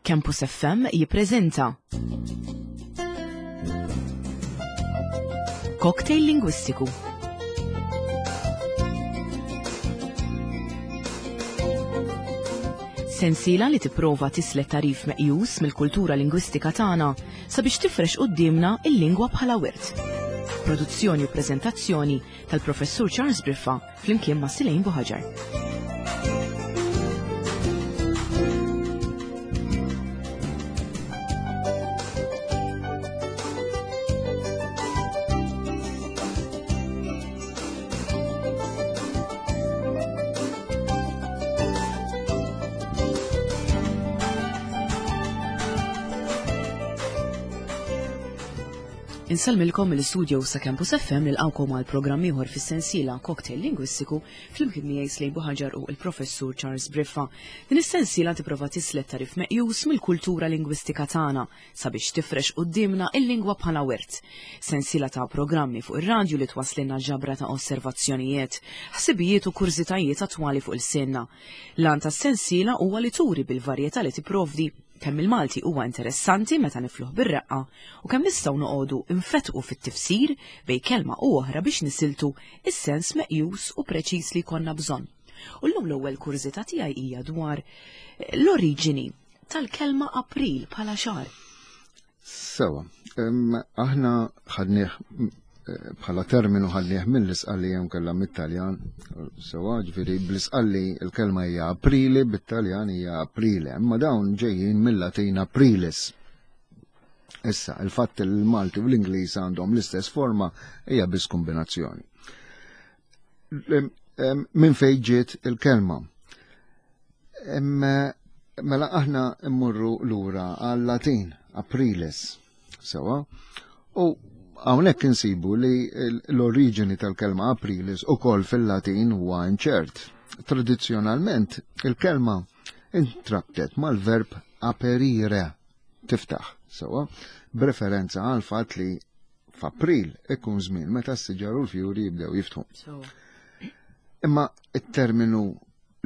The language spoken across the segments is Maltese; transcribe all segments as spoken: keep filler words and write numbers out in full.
Campus F M jippreżenta Cocktail Lingwistiku. Sensiela li tipprova tislet tarif meqjus mill-kultura lingwistika tagħna sabiex tifrex quddiemna il-lingwa bħala wirt. Produzzjoni u preżentazzjoni tal-Professur Charles Briffa flimkien ma' Silejn Buħaġar. Insellmilkom mill-istudio sa Campus F M nilqgħukom għal programm ieħor fis-sensiela Cocktail Lingwistiku flimkien miegħi Slejn Buħaġar u l-Professur Charles Briffa. Din is-sensiela tipprova tislet tarif meqjus mill-kultura lingwistika tagħna sabiex tifrex quddiemna il-lingwa bħala wirt. Sensiela ta' programmi fuq ir-radju li twasslilna ġabra ta' osservazzjonijiet, ħsibijiet u kurżitajiet attwali fuq il-senna. L-għan tas-sensiela huwa li turi bil-varjetà li tipprovdi kemm il-Malti huwa interessanti meta nifluh bir-reqqa u kemm nistgħu noqogħdu nfetqu fit-tifsir bejn kelma u oħra biex nisiltu is-sens meqjus u preċiż li jkollna bżonn. U llum l-ewwel kurżità tiegħi hija dwar l-oriġini tal-kelma April bħala xahar. Sewa, em, aħna ħadnieh bħala terminu ħadnieh mill-Isqalli jew kellha mit-Taljan, sewa, ġifieri bl-Isqalli l-kelma hija Aprili, bit-Taljan hija Aprile, imma dawn ġejjin mill-Latin Aprilis. Issa, il-fatt li l-Malti u l-Ingliż għandhom l-istess forma hija biss kombinazzjoni. Em, minn fejn ġiet il-kelma? Em, mela aħna mmorru lura għal-Latin, Aprilis, sewa, u hawnhekk insibu li l-oriġini tal-kelma Aprilis ukoll fil-Latin huwa inċert. Tradizzjonalment il-kelma intrabtet mal-verb aperire, tiftaħ, sewa, b'referenza għal fatt li f'April ikun żmien meta s-siġar u l-fjuri jibdew jiftħu. Imma it-terminu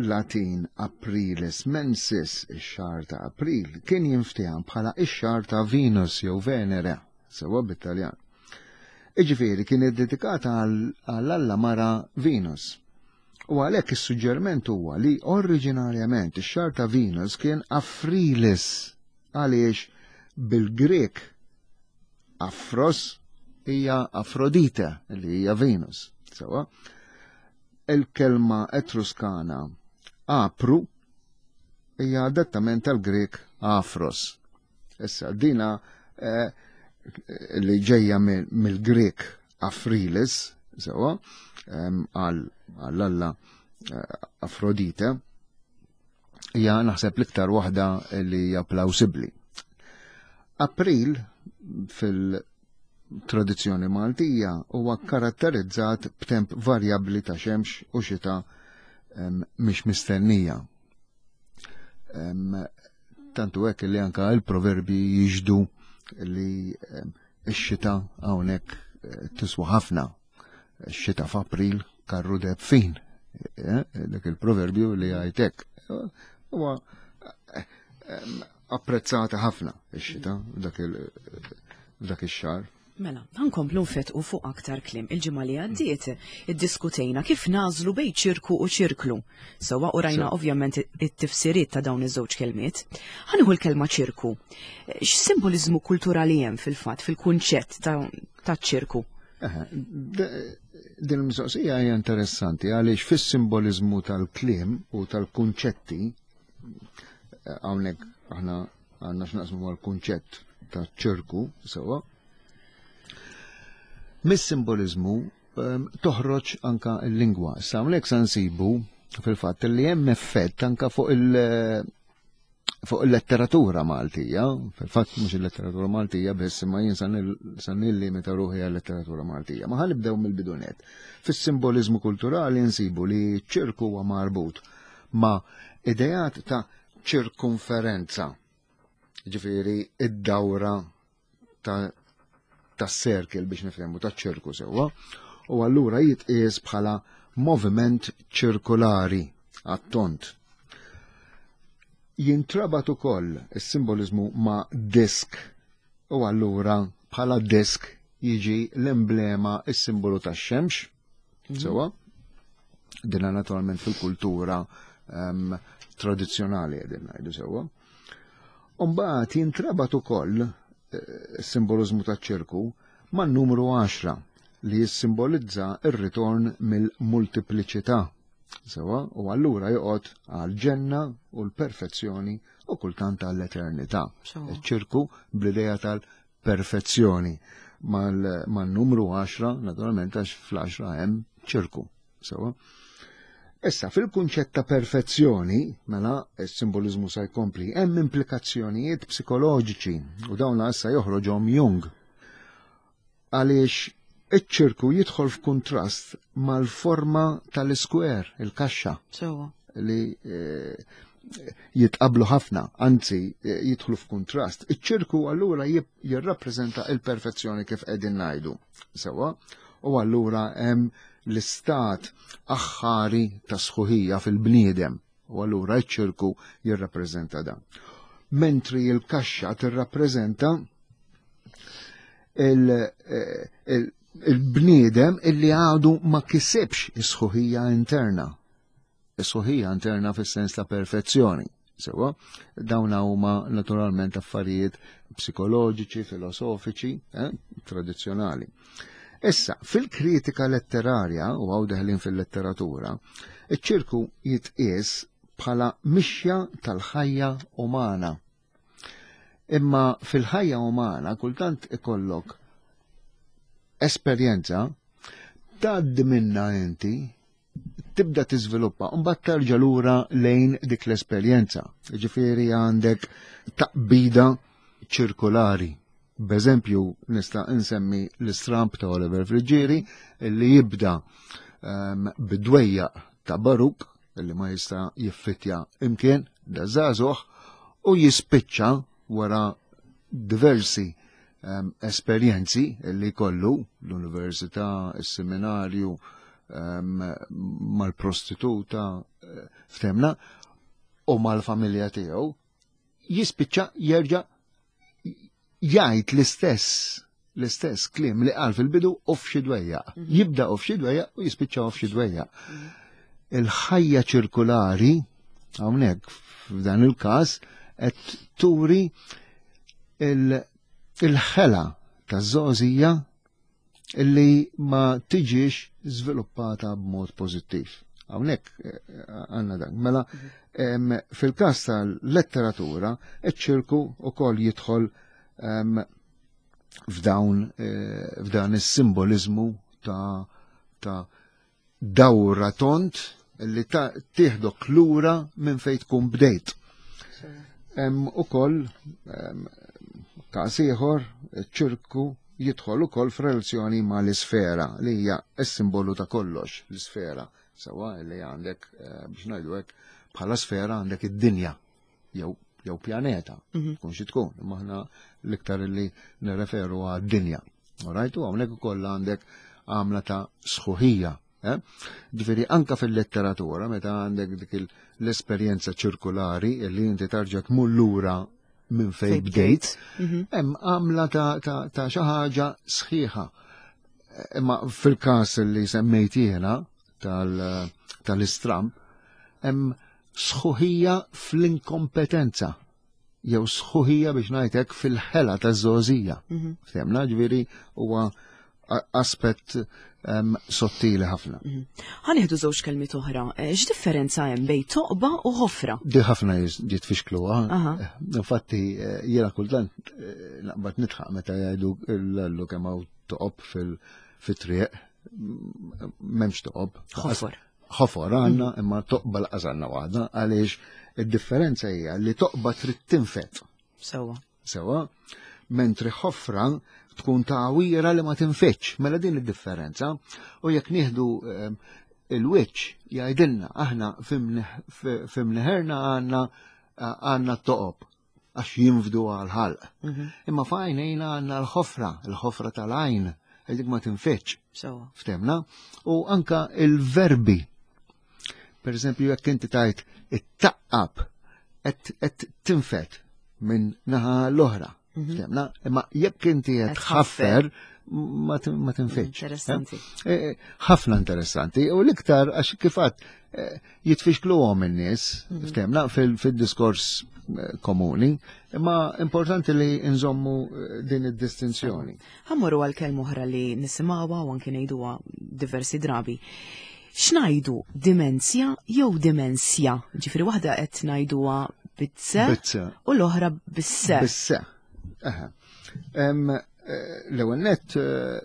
Latin Aprilis mensis, ix-xahar ta' April, kien jinftiehem bħala ix-xahar ta' Venus jew Venere, sewa bit-Taljan. Iġifieri kien iddedikata għall-alla mara Venus. U għalhekk is-suġġerment huwa li oriġinarjament ix-xahar ta' Venus kien Afrilis, għaliex bil-Grek Afros hija Afrodite li hija Venus. Sewa, il-kelma Etruskana Apru hija adattament tal-Grek Afros. Issa dina, eh, li ġejja mill-Grek Afrilis, sewa, em, għall-alla, eh, Afrodite, hija naħseb l-iktar waħda li hija plawsibbli. April fil-tradizzjoni Maltija huwa karatterizzat b'temp varjabbli ta' xemx u xita, em, mhix mistennija. Em, tantu hekk li anka l-proverbi jiġdu li, em, x-xita hawnhekk, eh, tiswa ħafna. X-xita f'April karru deb fin. Eh, dak il-proverbju li għajtek. Huwa, eh, em, apprezzata ħafna x-xita dak il-, dak ix-xahar. Mela, ħankomplu nfetqu fuq aktar kliem. Il-ġimgħa li għaddiet iddiskutejna kif nażlu bejn ċirku u ċirklu. Sewwa u rajna Sew. ovvjament it-tifsiriet ta' dawn iż-żewġ kelmiet. Ħanieħu l-kelma ċirku. X'simboliżmu kulturali hemm fil-fatt fil-kunċett ta', ta' ċirku? Eħe, de-, din il-mistoqsija hija interessanti għaliex fis-simboliżmu tal-kliem u tal-kunċetti, hawnhekk aħna għandna x'naqsmu mal-kunċett ta' ċirku, sewwa. Mis-simboliżmu, ehm, toħroġ anka l-lingwa. Issa hawnhekk sa nsibu fil-fatt li hemm effett anka fuq il-, fuq il-letteratura Maltija, fil-fatt mhux il-letteratura Maltija biss, imma jien sa nil-, sa nillimita ruħi għal-letteratura Maltija. Ma ħanibdew mill-bidunet. Fis-simboliżmu kulturali nsibu li ċirku huwa marbut ma' ideat ta' ċirkonferenza, ġifieri id-dawra ta' ta' circle biex nifhmu ta' ċirku sewwa, u allura jitqies bħala moviment ċirkolari għat-tont. Jintrabat ukoll is-simbolizmu ma' disk u allura bħala disk jiġi l-emblema, is-simbolu tax-xemx. Mm -hmm. Sewa, dina naturalment fil-kultura um, tradizzjonali qegħdin ngħidu sewwa. Umbagħad jintrabat ukoll eh, is-simbolizmu taċ-ċirku man-numru għaxra li jissimbolizza ir-ritorn mill-multipliċità. Sewa, u allura joqgħod għal-ġenna u l-perfezzjoni u kultant għall-eternità. Iċ-ċirku bl-idea tal-perfezzjoni mal-numru għaxra, naturalment għax fl-għaxra hemm ċirku. Sewa. Issa, fil-kunċett ta' perfezzjoni, mela, il-simbolizmu sa jkompli, hemm implikazzjonijiet psikoloġiċi u dawn issa joħroġhom Jung. Għaliex iċ-ċirku jidħol f'kuntrast mal-forma tal-square, il-kaxxa. Li eh, jitqablu ħafna, anzi eh, jidħlu f'kuntrast. Iċ-ċirku allura jirrappreżenta il-perfezzjoni kif qegħdin ngħidu. Sewa, u allura hemm l-istat aħħari ta' sħuħija fil-bniedem u allura ċ-ċirku jirrappreżenta dan. Mentri il-kaxxa tirrappreżenta il-bniedem illi għadu ma kisibx is-sħuħija interna. Is-sħuħija interna fis-sens ta' perfezzjoni. Sewa, dawn huma naturalment affarijiet psikoloġiċi, filosofiċi, eh, tradizzjonali. Issa, fil-kritika letterarja, u għaw deħlin fil-letteratura, iċ-ċirku jitqies bħala mixja tal-ħajja umana. Imma fil-ħajja umana kultant ikollok esperjenza tgħaddi minna inti, tibda tiżviluppa, u mbagħad terġa' lura lejn dik l-esperjenza. Ġifieri għandek taqbida ċirkolari. B'eżempju, nista' insemmi l-istramp ta' Oliver Friggieri li jibda um, bidwejjaq ta' Baruk li ma jista' jiffitja imkien da żagħżugħ u jispiċċa wara diversi um, esperjenzi li kollu l-università, is-seminarju, um, mal-prostituta, ftemna, u mal-familja tiegħu, jispiċċa jerġa' jgħid l-istess l-istess kliem li qal fil-bidu u f'xi dwejjaq. Jibda u f'xi dwejjaq u jispiċċa u f'xi dwejjaq. Il-ħajja ċirkulari hawnhekk f'dan il-każ qed turi il-ħela taż-żgħożija illi ma tiġix żviluppata b'mod pożittiv. Hawnhekk għandna dan. Mela fil-każ tal-letteratura iċ-ċirku ukoll jidħol f'dawn f'dan is-simbolizmu ta' ta' dawra tont li tieħdok lura minn fejn tkun bdejt. Hemm ukoll każ ieħor ċirku jidħol ukoll f'relazzjoni mal-isfera li hija s-simbolu ta' kollox, l-isfera. Sewa li għandek biex ngħidu hekk bħala sfera għandek id-dinja jew jew pjaneta, tkun xi tkun, imma aħna l-iktar li nirreferu għad-dinja. Rajtu hawnhekk ukoll għandek għamla ta' sħuħija. Ġifieri anka fil-letteratura meta għandek dik l-esperjenza ċirkulari li inti tarġa' tmur lura minn fejn bdejt, hemm għamla ta' xi ħaġa sħiħa. Imma fil-każ li semmejt jiena tal-istramp, hemm sħuħija fl-inkompetenza, jew sħuħija biex ngħidlek fil-ħela taż-żgħożija. Ftemna, ġifieri huwa aspett sottili ħafna. Ħa nieħdu żewġ kelmiet oħra. X'differenza hemm bejn toqba u ħofra? Di ħafna jitfixkluha. Infatti jiena kultant naqbad nidħaq meta jgħidu l-allu kemm hawn toqob fil-triq, m'hemmx toqob. Ħofor. Ħofor għandna, imma toqba laqas għandna waħda, għaliex id-differenza hija li toqba trid tinfet. Sewa. Sewa, mentri ħofra tkun tagħwira li ma tinfetx, mela din id-differenza. U jekk nieħdu il-wiċċ jgħidilna aħna fimneħerna għandna għandna t-toqob għax jinfdu għal-ħalq. Imma f'għajnejna għandna l-ħofra, l-ħofra tal-għajn, dik ma tinfetx. Ftemna? U anka il-verbi. Per eżempju, jekk inti tajt it-taqqab qed tinfed minn naħa l-oħra. Ftemna? Imma jekk inti qed tħaffer ma tinfidx. Interessanti. Ħafna interessanti. U l-iktar għax kif għedt jitfixkluhom in-nies, ftemna, fil-diskors komuni, imma importanti li nżommu din id-distinzjoni. Ħa mmorru għal kelma oħra li nisimgħuha u anke ngħiduha diversi drabi. X'ngħidu, dimenzja jew dimensja? Ġifieri waħda qed ngħiduha bit-se u l-oħra bis-se. Bis-se. Aha. L-ewwel nett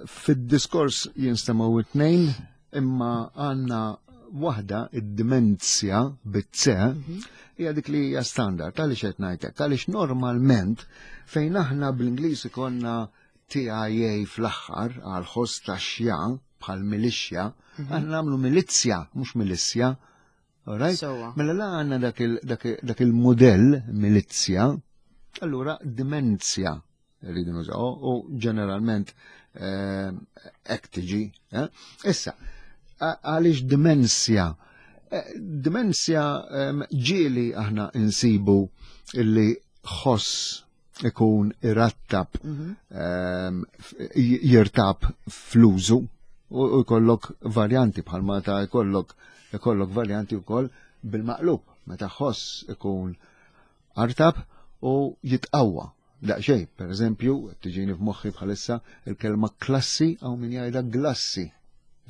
fid-diskors jinstemgħu it-tnejn, imma għandna waħda, id-dimenzja bit-se, hija dik li hija standard. Għaliex qed ngħidlek? Għaliex normalment fejn aħna bl-Ingliż ikollna T I A fl-aħħar għal ħoss ta' xja bħal milixja, aħna nagħmlu milizzja, mhux milissja. Alright? Mela la għandna dak il-modell milizzja, allura dimenzja rridu nużaw u ġeneralment hekk tiġi. Issa, għaliex dimensja? Dimensja ġieli aħna insibu illi ħoss ikun irattab, jirtab fl-użu u jkollok varjanti bħal meta jkollok jkollok varjanti wkoll bil-maqlub, meta ħoss ikun artab u jitqawwa. Daqsxejn, per eżempju, tiġini f'moħħi bħalissa il-kelma klassi għaw min jgħidha glassi.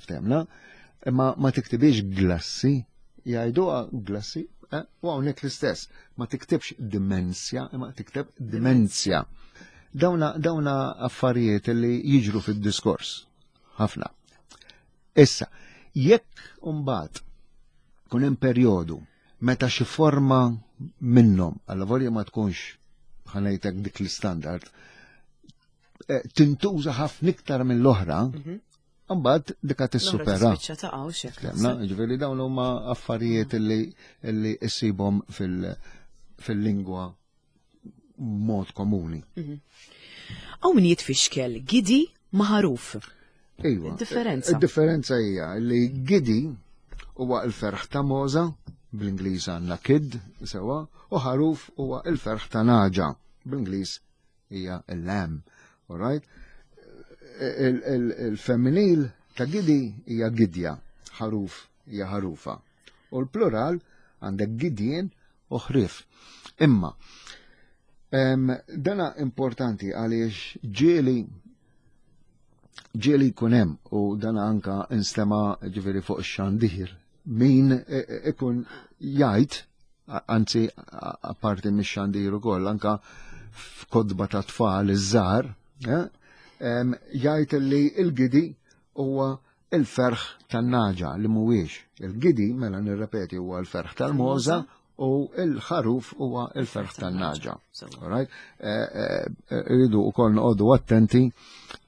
Ftemna? Imma ma tiktibix glassi, jgħiduha glassi, eh? U hawnhekk l-istess, ma tiktibx dimensja, imma tikteb dimenzja. Dawna, dawna affarijiet li jiġru fid-diskors. Ħafna. Issa, jekk imbagħad kun hemm perjodu meta xi forma minnhom, allavolja ma tkunx ħa ngħidlek dik l-standard, eh, tintuża ħafna iktar mill-oħra, mbagħad dika tissupera. Spiċċa. Ġifieri dawn huma affarijiet li li issibhom fil-lingwa mod komuni. Hawn min jitfixkel gidi ma' ħaruf. Iva. Differenza. Il-differenza hija li gidi huwa l-ferħ ta' mogħża, bl-Ingliż għandna kid, sewa, u ħaruf huwa il-ferħ ta' nagħġa, bl-Ingliż hija il-lamb. Alright? Il-femminil ta' gidi hija gidja, ħaruf hija ħarufa. U l-plural għandek gidjien u ħrif. Imma, dana importanti għaliex ġieli ġieli jkun hemm, u dana anka instema ġifieri fuq ix-xandir, min ikun jgħid, anzi apparti mix-xandir ukoll anka f'kotba ta' tfal iż-żgħar, jgħid li il-gidi huwa il-ferħ tan-nagħġa, li mhuwiex. Il-gidi, mela nirrepeti, huwa l-ferħ tal-mogħża u il-ħaruf huwa il-ferħ tan-nagħġa. Alright? Irridu wkoll noqogħdu attenti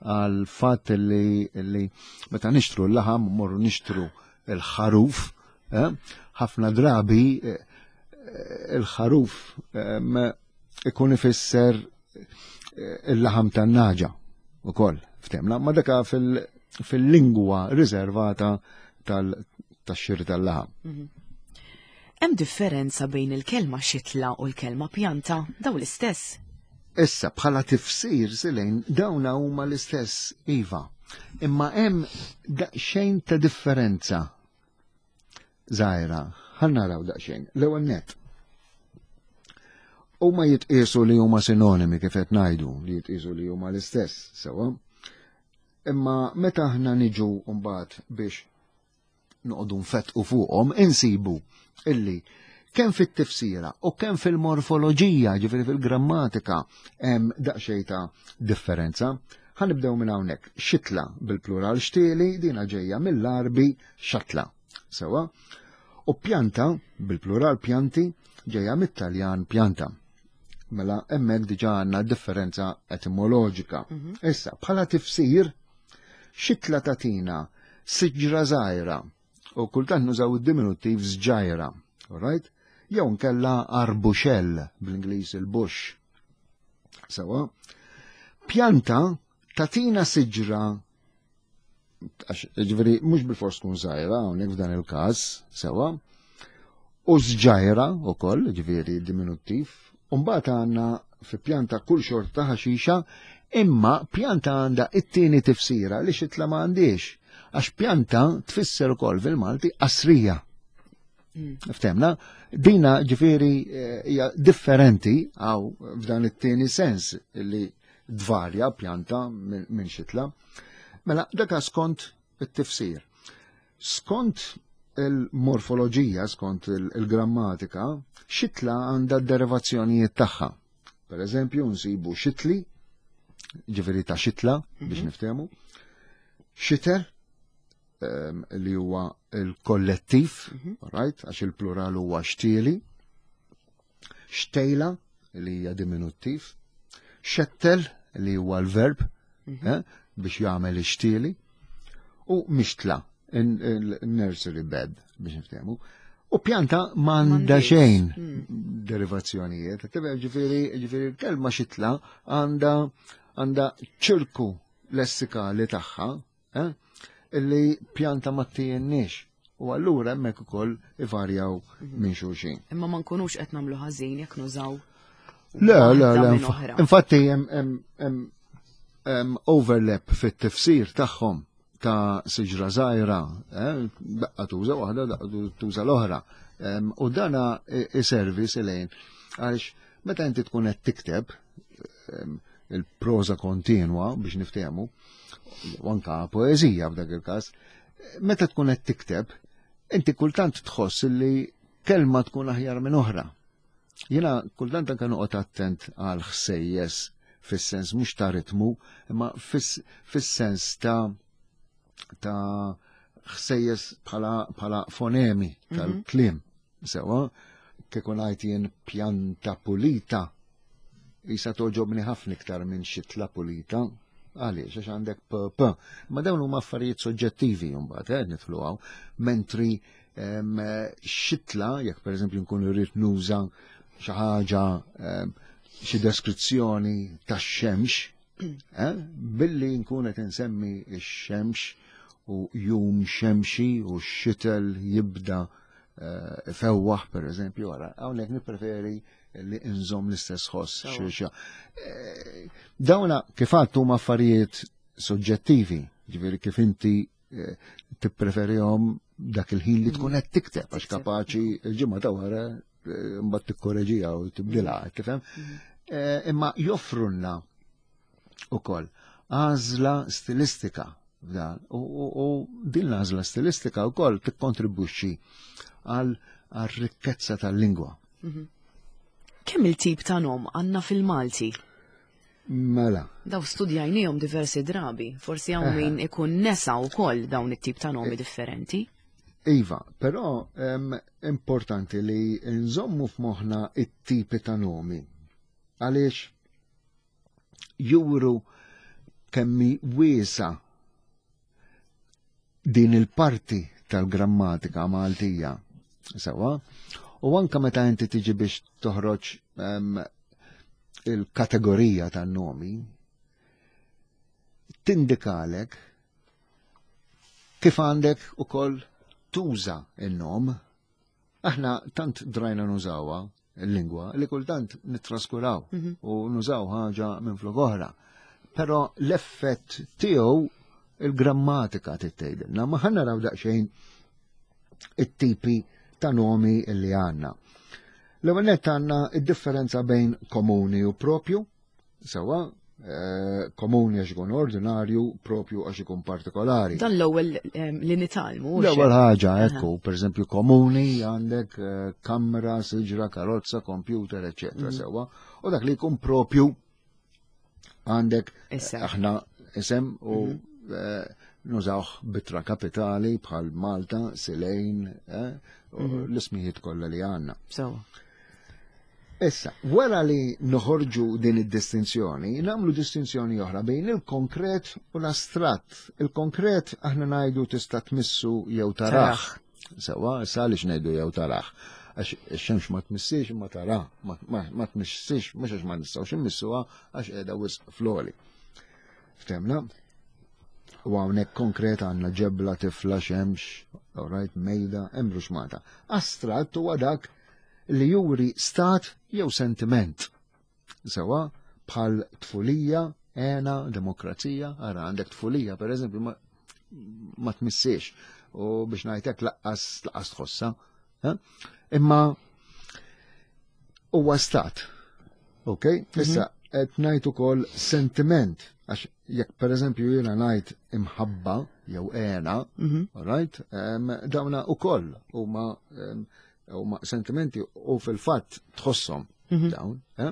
għal fatt li li meta nixtru l-laħam, morru nixtru il-ħaruf, ħafna drabi il-ħaruf ikun ifisser il-laħam tan-nagħġa ukoll, ftemna, ma daka fil-lingwa riservata tal-xiri tal-laħam. Hemm differenza bejn il-kelma xitla u l-kelma pjanta, daw l-istess? Issa, bħala tifsir silejn, dawna huma l-istess, iva. Imma hemm daqsxejn ta' differenza żgħira. Ħa naraw daqsxejn. L-ewwel nett. Huma jitqiesu li huma sinonimi, kif qed ngħidu, li jitqiesu li huma l-istess, sewa. Imma meta aħna niġu mbagħad biex noqogħdu nfettqu fuqhom, insibu illi kemm fit-tifsira u kemm fil-morfoloġija, ġifieri fil-grammatika, hemm daqsxejn ta' differenza. Ħa nibdew minn hawnhekk. Xitla bil-plural xtieli, dina ġejja mill-Arbi xatla. Sewa. U pjanta bil-plural pjanti ġejja mit-Taljan pianta. Mela hemmhekk diġà għandna differenza etimoloġika. Issa, bħala tifsir, xitla tagħtina siġra żgħira u kultant nużaw id-diminuttiv żġajra, alright? Jew nkella arbuxell, bl-Ingliż il-bush. Sewa. Pjanta tagħtina siġra, għax ġifieri mhux bil-fors tkun żgħira hawnhekk f'dan il-każ, sewa. U sġajra ukoll, ġifieri diminuttiv. U mbagħad għandna fi pjanta kull xorta ħaxixa, imma pjanta għandha it-tieni tifsira li xitla ma għandix. Għax pjanta tfisser ukoll fil-Malti qasrija. Ftemna, dina ġifieri eh, hija differenti għaw f'dan it-tieni sens li dvarja pjanta minn min xitla. Mela, daka skont it-tifsir. Skont il-morfoloġija, skont il-grammatika, xitla għandha derivazzjonijiet tagħha. Per eżempju, nsibu xitli, ġifieri ta' xitla, biex niftehmu, xiter, em, li huwa il-kollettiv, right, għax il-plural huwa xtieli, xtejla, li hija diminuttiv, xettel, li huwa l-verb, eh, biex jagħmel ixtieli, u mixtla, in-nursery bed, biex niftehmu. U pjanta m'għandha M'għandix. xejn derivazzjonijiet. Tibqa ġifieri, ġifieri kelma xitla għandha għandha ċirku lessikali tagħha, eh, illi pjanta ma ttijenniex. U allura hemmhekk ukoll ivarjaw minn xulxin. Imma ma nkunux qed nagħmlu ħażin jekk nużaw Le, le, le, waħda minn infa- oħra. infatti hemm hemm hemm hemm overlap fit-tifsir tagħhom ta' siġra żgħira, eh, daqqa tuża waħda, daqqa tuża l-oħra. Em, U dana i- iservi silejn għaliex meta inti tkun qed tikteb em, il-proza kontinwa biex niftehmu, u anka poeżija f'dak il-każ, meta tkun qed tikteb, inti kultant tħoss li kelma tkun aħjar minn oħra. Jiena kultant anka noqgħod attent għal ħsejjes fis-sens mhux ta' ritmu, imma fis- fis-sens ta' ta' ħsejjes bħala bħala fonemi tal-kliem. Sewa, kieku ngħid jien pjanta pulita, jisa toġobni ħafna iktar minn xitla pulita. Għaliex, għax għandek p, p. Ma dawn huma affarijiet soġġettivi mbagħad, eh, nidħlu hawn. Mentri em, xitla, jekk pereżempju nkun irrid nuża xi ħaġa em, xi deskrizzjoni tax-xemx, eh, billi nkun qed insemmi x-xemx u jum xemxi u x-xitel jibda eh, fewwaħ per eżempju, għara, hawnhekk nippreferi li nżomm l-istess ħoss Sewa. xi Eh, Dawna kif għadt huma affarijiet soġġettivi, ġifieri kif inti eh, tippreferihom dak il-ħin li tkun qed tikteb għax Tikteb. kapaċi il-ġimgħa ta' wara eh, mbagħad tikkoreġiha u tibdilha, tifhem? Eh, Imma joffrulna ukoll għażla stilistika f'dan u, u, u din l-għażla stilistika wkoll tikkontribwixxi għal għal rikkezza tal-lingwa. Kemm il-tip ta' nom għandna fil-Malti? Mela, Daw studjajnihom diversi drabi, forsi hawn min ikun nesa wkoll dawn it-tip ta' nomi differenti. Iva, però em, importanti li nżommu f'moħħna it-tipi ta' nomi. Għaliex juru kemmi wiesa din il-parti tal-grammatika Maltija. Sewa, u anka meta inti tiġi biex toħroġ em, il-kategorija tan-nomi, tindikalek kif għandek ukoll tuża il-nom. Aħna tant drajna nużawha il-lingwa li kultant nittraskuraw u nużaw ħaġa minn flok oħra. Però l-effett tiegħu il-grammatika tgħidilna. Ma ħa naraw daqsxejn it-tipi ta' nomi li għandna. L-ewwel nett għandna id-differenza bejn komuni u propju, sewa, eh, komuni għax ikun ordinarju, propju għax ikun partikolari. Dan l-ewwel em, li nitgħallmu. hux L-ewwel hekk? ħaġa, ekku, per eżempju, komuni għandek eh, kamra, siġra, karozza, computer, eccetera, sewa. U dak li jkun propju għandek eh, Isem. aħna isem u eh, nużawh b'ittra kapitali bħal Malta, Silejn, eh, u l-ismijiet kollha li għandna. Sewa. Issa, wara li noħorġu din id-distinzjoni, nagħmlu distinzjoni oħra bejn il-konkret u l-astratt. Il-konkret aħna ngħidu tista' tmissu jew taraħ. Sewa, issa għaliex ngħidu jew taraħ. Għax ix-xemx ma tmissix ma tara, ma, ma, ma tmissix, mhux għax ma nistgħux immissuha għax qiegħda wisq fl-għoli. Ftemna? U hawnhekk konkret għandna ġebla, tifla, xemx, all right, mejda, hemm ruxmata. Astratt huwa dak li juri stat jew sentiment. Sewa, bħal tfulija, ena, demokrazija, ara għandek tfulija, per eżempju, ma, ma tmissiex u biex ngħidlek lanqas lanqas tħossa. Eh? Imma huwa stat. Ok? Issa qed ngħid ukoll sentiment għax jekk pereżempju jiena ngħid imħabba jew ena, Mhm. all right? Um, dawna ukoll huma um, huma sentimenti u fil-fatt tħosshom Mhm. dawn, eh?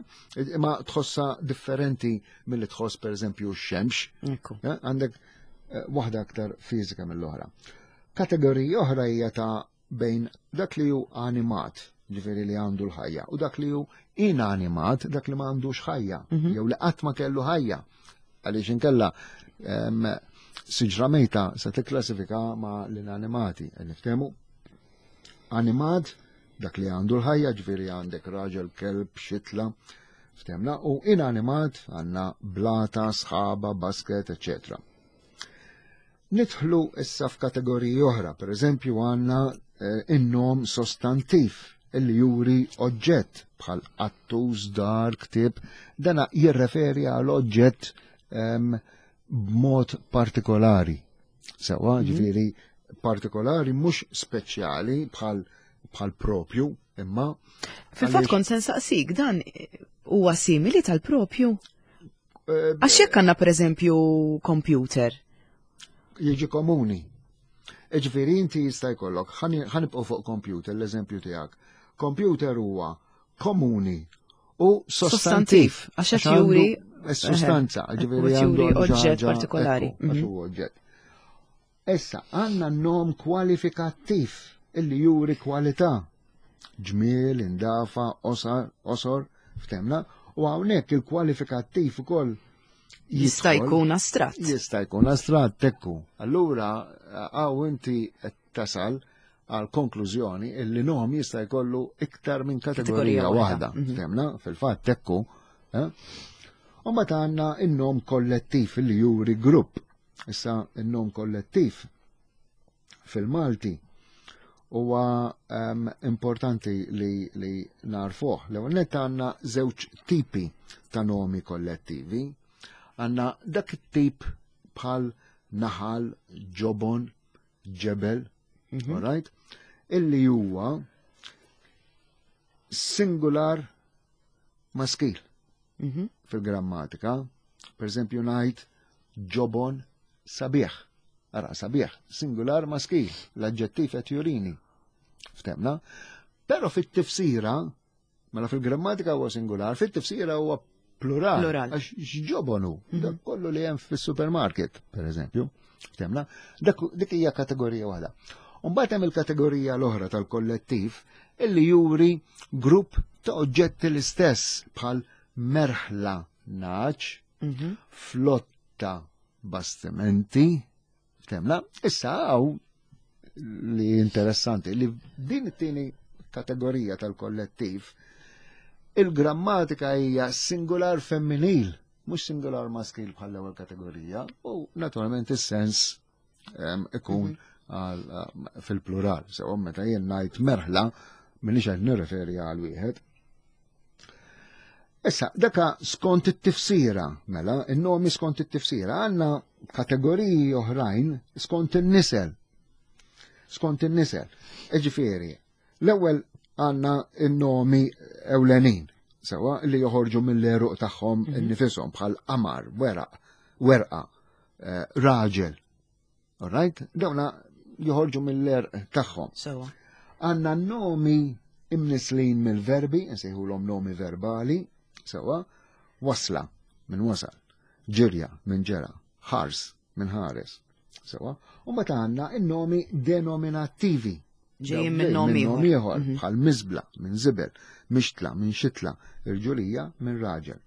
Imma tħossa differenti milli tħoss pereżempju x-xemx, Ekku. eh? Għandek eh, waħda aktar fiżika mill-oħra. Kategorija oħra hija ta' bejn dak li hu animat, ġifieri li għandu l-ħajja, u dak li hu inanimat, dak li ma għandux ħajja, Mhm. jew li qatt ma kellu ħajja. Għaliex inkella em, siġra mejta se tikklassifika ma l-inanimati, qed niftehmu? Animat, dak li għandu l-ħajja, ġifieri għandek raġel, kelb, xitla, ftehmna, u inanimat għandna blata, sħaba, basket, eccetera. Nidħlu issa f'kategoriji oħra, per eżempju għandna eh, in-nom sostantiv illi juri oġġett bħal qattus, dar, ktib, dana jirreferi għal oġġett em, b'mod partikolari. Sewa, Mhm. ġifieri partikolari mhux speċjali bħal bħal propju, imma Fil-fatt għaliex- kont se nsaqsik dan huwa simili tal-propju. eh, Għax jekk għandna pereżempju computer. Jiġi komuni. Ġifieri inti jista' jkollok, ħa nibqgħu fuq computer, l-eżempju tiegħek. Computer huwa komuni u sostantiv. Sostantiv, għax qed għandu juri- Is-sustanza, Eħe, ġifieri qed għandu juri għandu oġġett ħaġa- partikolari. ekku, għax Mhm. huwa oġġett. Issa, għandna nom kwalifikattiv illi juri kwalità. Ġmiel, indafa, osar, osor, ftehmna, u hawnhekk il-kwalifikattiv ukoll Jista' jidħol- jkun astratt. Jista' jkun astratt ekku. Allura, għaw inti qed tasal għal konklużjoni illi nom jista' jkollu iktar minn kategorija Kategorija waħda. waħda. Mhm. Ftehmna, fil-fatt ekku. Eh? U mbagħad għandna in-nom kollettiv illi juri grupp. Issa in-nom kollettiv fil-Malti huwa um, importanti li, li narfuh. L-ewwel nett għandna żewġ tipi ta' nomi kollettivi. Għandna dak it-tip bħal naħal, ġobon, ġebel, Mhm. all right? Illi huwa singular maskil Mhm. fil-grammatika. Per eżempju ngħid ġobon sabiħ. Ara, sabiħ, singular maskil, l-aġġettiv qed jurini. Ftehmna? Però fit-tifsira, mela fil-grammatika huwa singular, fit-tifsira huwa plural. Plural. Għax x'ġobonu, dak kollu li hemm fis-supermarket, per eżempju. Ftehmna? Dak dik hija kategorija waħda. Mbagħad hemm il-kategorija l-oħra tal-kollettiv illi juri grupp ta' oġġetti l-istess bħal merħla nagħaġ, Mhm. flotta bastimenti, ftehmna, issa għaw li interessanti li din it-tieni kategorija tal-kollettiv il-grammatika hija singular femminil, mhux singular maskil bħal l-ewwel kategorija, u naturalment is-sens em, ikun għal, em, fil-plural. Sewa meta jien ngħid merħla, minix qed nirreferi għal wieħed. Issa, daka skont it-tifsira, mela, in-nomi skont it-tifsira, għandna kategoriji oħrajn skont in-nisel. Skont in-nisel. Ġifieri, l-ewwel għandna in-nomi ewlenin, sewa li joħorġu mill-għeruq tagħhom innifisom bħal qamar, weraq, werqa, eh, raġel. All right? Dawna joħorġu mill-għerq tagħhom. Sewa. Għandna nomi imnislin mill-verbi, nsejħulhom nomi verbali, sewa, wasla minn wasal, ġirja minn ġera, ħars minn ħares, sewa, u mbagħad għandna in-nomi denominattivi. Ġejjin minn nom Minn nom ieħor. ieħor, Mhm. bħal miżbla minn żibel, mixtla minn xitla, irġulija minn raġel.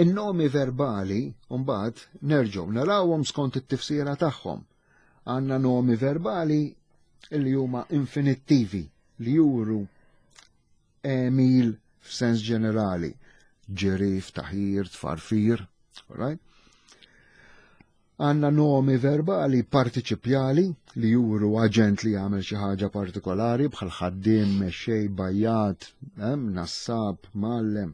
In-nomi verbali, mbagħad nerġgħu narawhom skont it-tifsira tagħhom. Għandna nomi verbali illi huma infinittivi li juru għemil f'sens ġenerali. Ġiri, ftaħir, tfarfir, all right? Għandna nomi verbali partiċipjali li juru aġent li jagħmel xi ħaġa partikolari bħal ħaddiem, mexxej, bajjat, nassab, mgħallem.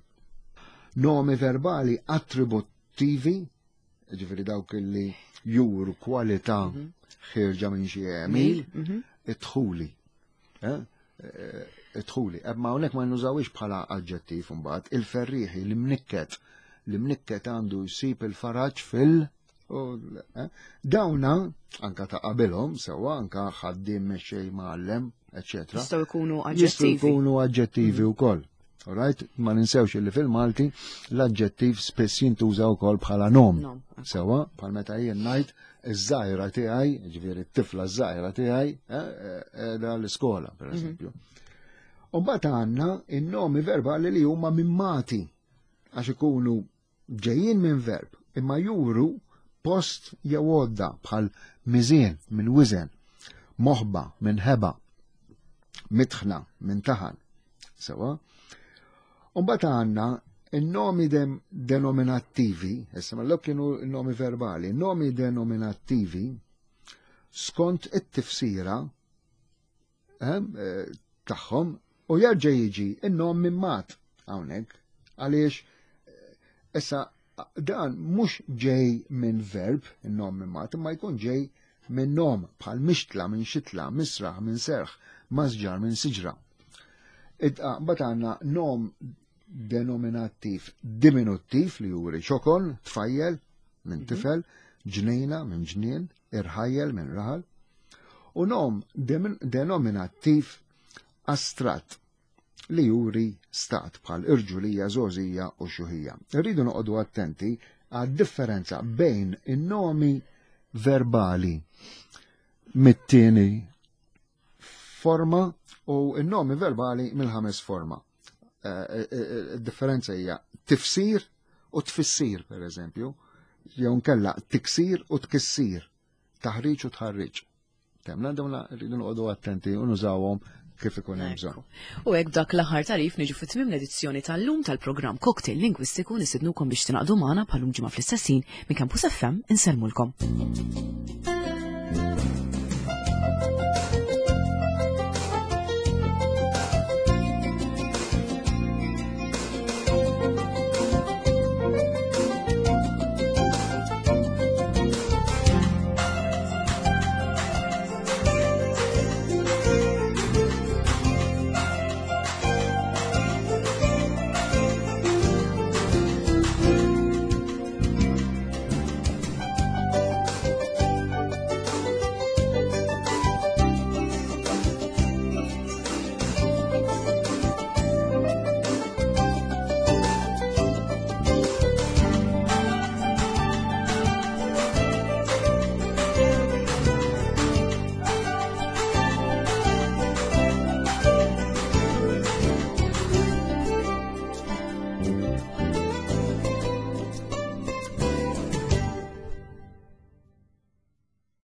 Nomi verbali attributtivi, ġifieri dawk li juru kwalità mhm. ħierġa minn xi għemil, mhm. idħuli. Eh, eh, idħuli. Imma hawnhekk ma nużawix bħala aġġettiv imbagħad, il-ferrieħi, l-imnikket, l-imnikket għandu jsib il-faraġ fil- Eh, dawna, anka ta' qabilhom, sewa anka ħaddiem mexxej mgħallem, eċetera. Jistgħu jkunu aġġettivi. Jistgħu jkunu aġġettivi mm. wkoll. Alright, ma ninsewx li fil-Malti l-aġġettiv spiss jintuża wkoll bħala nom. Sewa, bħal meta jien ngħid iż-żgħira tiegħi, ġifieri t-tifla ż-żgħira tiegħi, qiegħda eh, l-iskola, per mhm. eżempju. U mbagħad għandna in-nomi verbali li huma mimmati għax ikunu ġejjin minn verb imma juru post jew għodda bħal miżien minn wiżen, moħba minn ħeba, mitħna minn taħan. Sewa. Umbagħad għandna in-nomi denominattivi, issa ma kienu n-nomi verbali, nomi denominattivi skont it-tifsira eh, tagħhom u jerġa' jiġi in-nom mimmat hawnhekk għaliex eh, issa dan mhux ġej minn verb in-nom mimmat imma jkun ġej minn nom bħal mixtla minn xitla, misraħ minn serħ, masġar minn siġra. Mbagħad għandna nom denominattiv diminuttiv li juri ċokon, tfajjel minn mhm. tifel, ġnejna minn ġnien, irħajjel minn raħal, u nom denominattiv astratt li juri stat bħal irġulija, żgħożija u xjuħija. Irridu noqogħdu attenti għad differenza bejn in-nomi verbali mit-tieni forma u n-nomi verbali mill-ħames forma. Eh, eh, eh, id-differenza hija tifsir u tfissir, per eżempju, jew nkella tiksir u tkissir, taħriġ u tħarriġ. Temna dawna rridu noqogħdu attenti u nużawhom kif ikun hemm bżonn. U hekk dak l-aħħar tarif niġu fi tmiem l-edizzjoni tal-lum tal-programm Cocktail Lingwistiku. Nistednukom biex tingħaqdu magħna bħalum ġimgħa fl-istess ħin minn Campus F M. Insellmulkom.